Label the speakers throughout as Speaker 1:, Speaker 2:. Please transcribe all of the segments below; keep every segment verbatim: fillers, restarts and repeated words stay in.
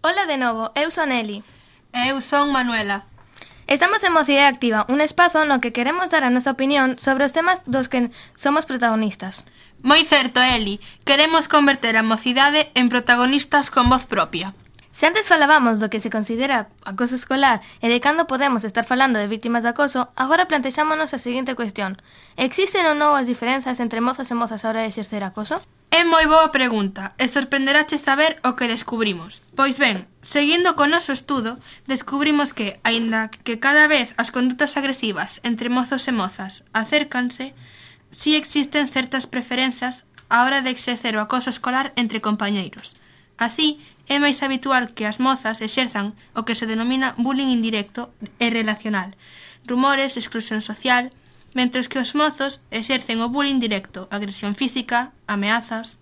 Speaker 1: Ola de novo, eu son Eli.
Speaker 2: E eu son Manuela.
Speaker 1: Estamos en Mocidade Activa, un espazo no que queremos dar a nosa opinión sobre os temas dos que somos protagonistas.
Speaker 2: Moi certo, Eli. Queremos converter a mocidade en protagonistas con voz propia.
Speaker 1: Se antes falábamos do que se considera acoso escolar e de cando podemos estar falando de víctimas de acoso, agora plantexámonos a seguinte cuestión. Existen ou non as diferenzas entre mozos e mozas a hora de exercer acoso?
Speaker 2: É moi boa pregunta e sorprenderache saber o que descubrimos. Pois ben, seguindo co noso estudo, descubrimos que, aínda que cada vez as condutas agresivas entre mozos e mozas acércanse, si existen certas preferenzas á hora de exercer o acoso escolar entre compañeiros. Así, é máis habitual que as mozas exerzan o que se denomina bullying indirecto e relacional, rumores, exclusión social, mentres que os mozos exercen o bullying directo, agresión física, ameazas.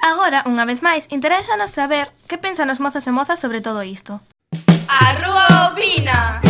Speaker 1: Agora, unha vez máis, interésanos saber que pensan os mozos e mozas sobre todo isto.
Speaker 3: A Rúa opina!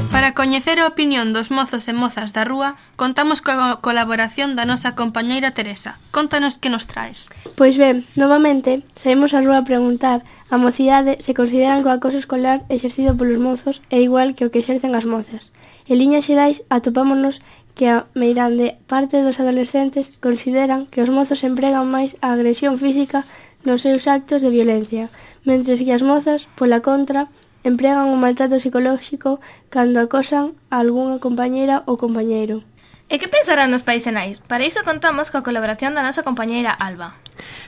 Speaker 2: Para coñecer a opinión dos mozos e mozas da rúa, contamos coa colaboración da nosa compañeira Teresa. Contanos que nos traes.
Speaker 4: Pois ben, novamente, saímos á rúa a preguntar a mocidade se consideran que o acoso escolar exercido polos mozos é igual que o que exercen as mozas. En liñas xerais, atopámonos que a meirande parte dos adolescentes consideran que os mozos empregan máis a agresión física nos seus actos de violencia, mentres que as mozas, pola contra, empregan o maltrato psicolóxico cando acosan a algunha compañeira ou compañeiro.
Speaker 1: E que pensarán os pais e nais? Para iso contamos coa colaboración da nosa compañeira Alba.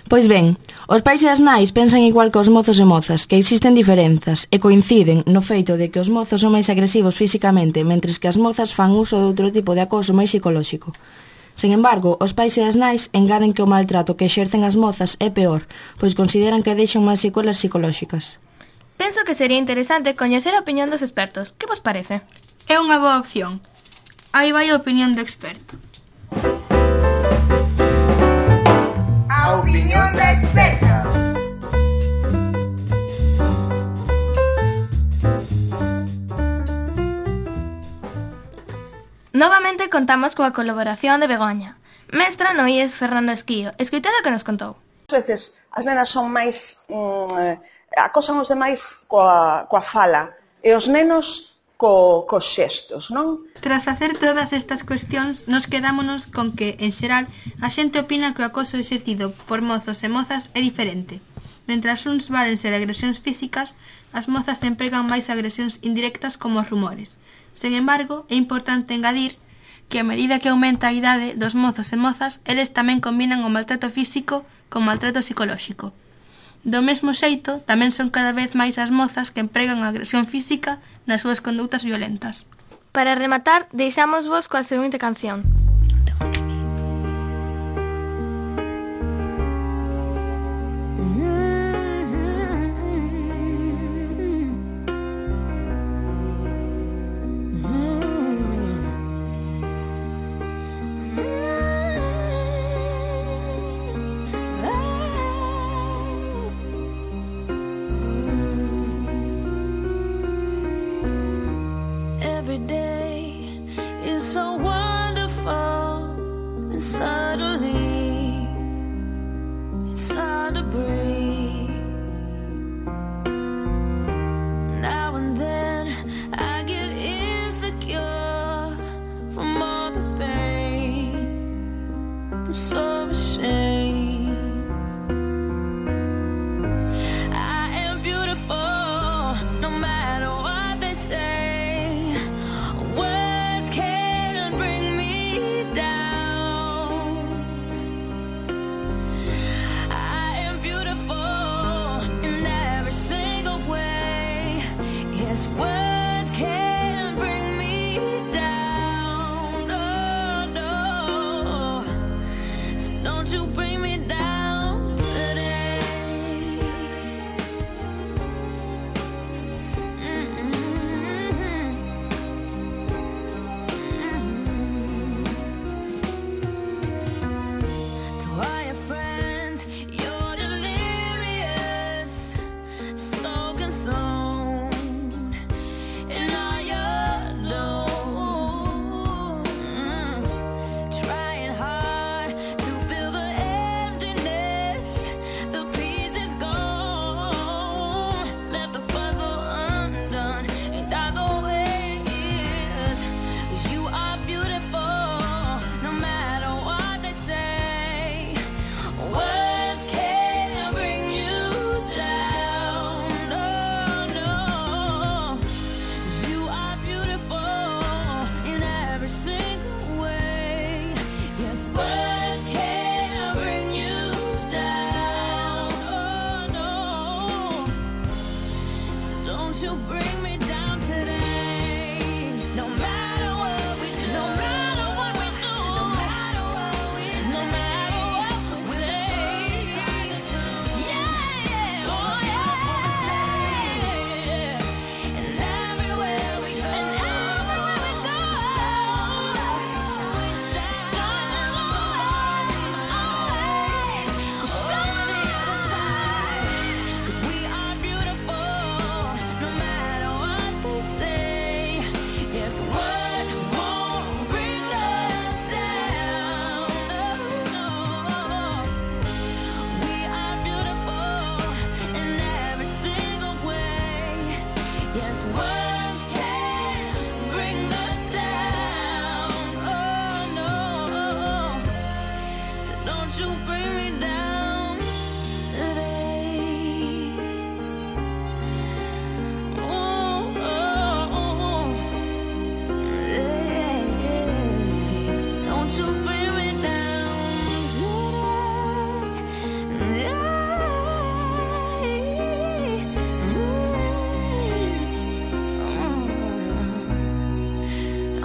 Speaker 5: Pois ben, os pais e as nais pensan igual que os mozos e mozas, que existen diferenzas e coinciden no feito de que os mozos son máis agresivos físicamente, mentres que as mozas fan uso de outro tipo de acoso máis psicolóxico. Sen embargo, os pais e as nais engaden que o maltrato que exercen as mozas é peor, pois consideran que deixan máis secuelas psicolóxicas.
Speaker 1: Penso que sería interesante coñecer a opinión dos expertos. Que vos parece?
Speaker 2: É unha boa opción. Aí vai a opinión do experto.
Speaker 3: A opinión da experta.
Speaker 1: Novamente contamos coa colaboración de Begoña, mestra no I E S Fernando Esquío. Escoitade o que nos contou.
Speaker 6: As veces as nenas son máis... Mm, acosan os demais coa, coa fala e os nenos co, cos xestos, non?
Speaker 2: Tras facer todas estas cuestións, nos quedámonos con que, en xeral, a xente opina que o acoso exercido por mozos e mozas é diferente. Mentras uns válense de agresións físicas, as mozas empregan máis agresións indirectas como os rumores. Sen embargo, é importante engadir que a medida que aumenta a idade dos mozos e mozas, eles tamén combinan o maltrato físico con maltrato psicolóxico. Do mesmo xeito, tamén son cada vez máis as mozas que empregan a agresión física nas súas condutas violentas.
Speaker 1: Para rematar, deixámosvos coa seguinte canción.
Speaker 7: And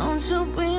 Speaker 7: Don't you be